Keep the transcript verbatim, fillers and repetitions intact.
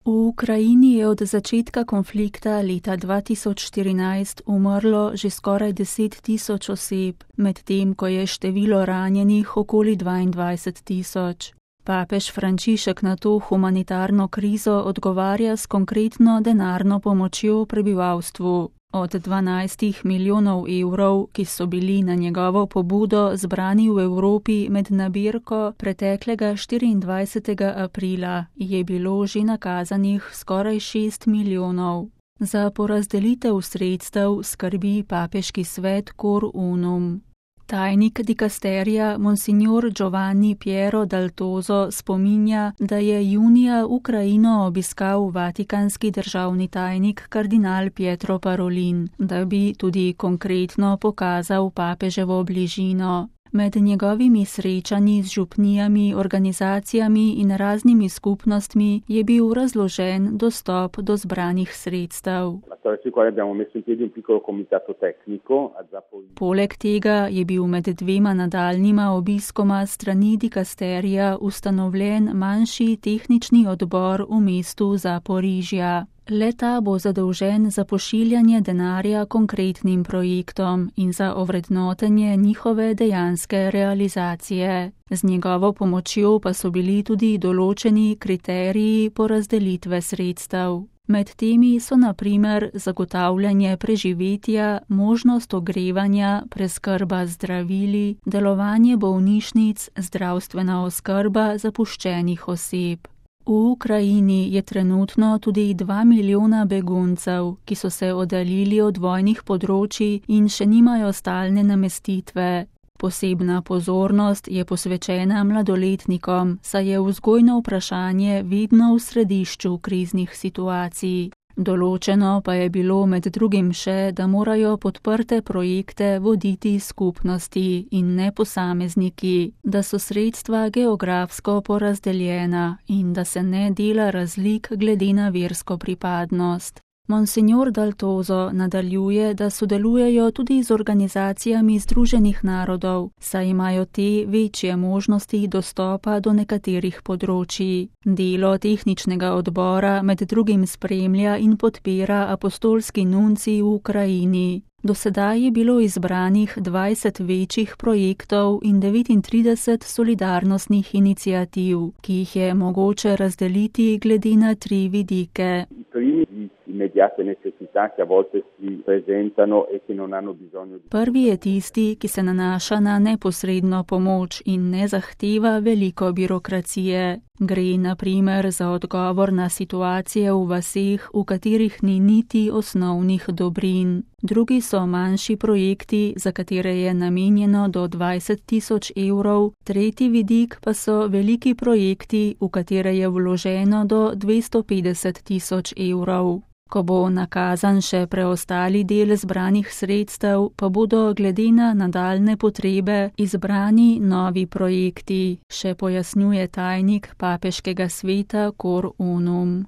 V Ukrajini je od začetka konflikta leta dva tisoč štirinajst umrlo že skoraj deset tisoč oseb, medtem ko je število ranjenih okoli dvaindvajset tisoč. Papež Frančišek na to humanitarno krizo odgovarja s konkretno denarno pomočjo prebivalstvu. Od dvanajstih milijonov evrov, ki so bili na njegovo pobudo zbrani v Evropi med nabirko preteklega štiriindvajsetega aprila, je bilo že nakazanih skoraj šest milijonov. Za porazdelitev sredstev skrbi papeški svet Cor Unum. Tajnik dikasterija Monsignor Giovanni Piero Dal Toso spominja, da je junija Ukrajino obiskal vatikanski državni tajnik kardinal Pietro Parolin, da bi tudi konkretno pokazal papeževo bližino. Med njegovimi srečanji z župnijami, organizacijami in raznimi skupnostmi je bil razložen dostop do zbranih sredstev. Poleg tega je bil med dvema nadaljnjima obiskoma strani dikasterija ustanovljen manjši tehnični odbor v mestu Zaporižja. Le-ta bo zadolžen za pošiljanje denarja konkretnim projektom in za ovrednotenje njihove dejanske realizacije. Z njegovo pomočjo pa so bili tudi določeni kriteriji porazdelitve sredstev. Med temi so na primer zagotavljanje preživetja, možnost ogrevanja, preskrba z zdravili, delovanje bolnišnic, zdravstvena oskrba zapuščenih oseb. V Ukrajini je trenutno tudi dva milijona beguncev, ki so se oddaljili od vojnih področij in še nimajo stalne namestitve. Posebna pozornost je posvečena mladoletnikom, saj je vzgojno vprašanje vedno v središču kriznih situacij. Določeno pa je bilo med drugim še, da morajo podprte projekte voditi skupnosti in ne posamezniki, da so sredstva geografsko porazdeljena in da se ne dela razlik glede na versko pripadnost. Monsignor Dal Toso nadaljuje, da sodelujejo tudi z organizacijami Združenih narodov, saj imajo te večje možnosti dostopa do nekaterih področij. Delo tehničnega odbora med drugim spremlja in podpira apostolski nunci v Ukrajini. Do sedaj je bilo izbranih dvajset večjih projektov in devetintrideset solidarnostnih iniciativ, ki jih je mogoče razdeliti glede na tri vidike. Prvi je tisti, ki se nanaša na neposredno pomoč in ne zahteva veliko birokracije. Gre na primer za odgovor na situacije v vaseh, v katerih ni niti osnovnih dobrin. Drugi so manjši projekti, za katere je namenjeno do dvajset tisoč evrov. Tretji vidik pa so veliki projekti, v katere je vloženo do dvesto petdeset tisoč evrov. Ko bo nakazan še preostali del zbranih sredstev, pa bodo glede na nadaljne potrebe izbrani novi projekti, še pojasnjuje tajnik papeškega sveta Cor Unum.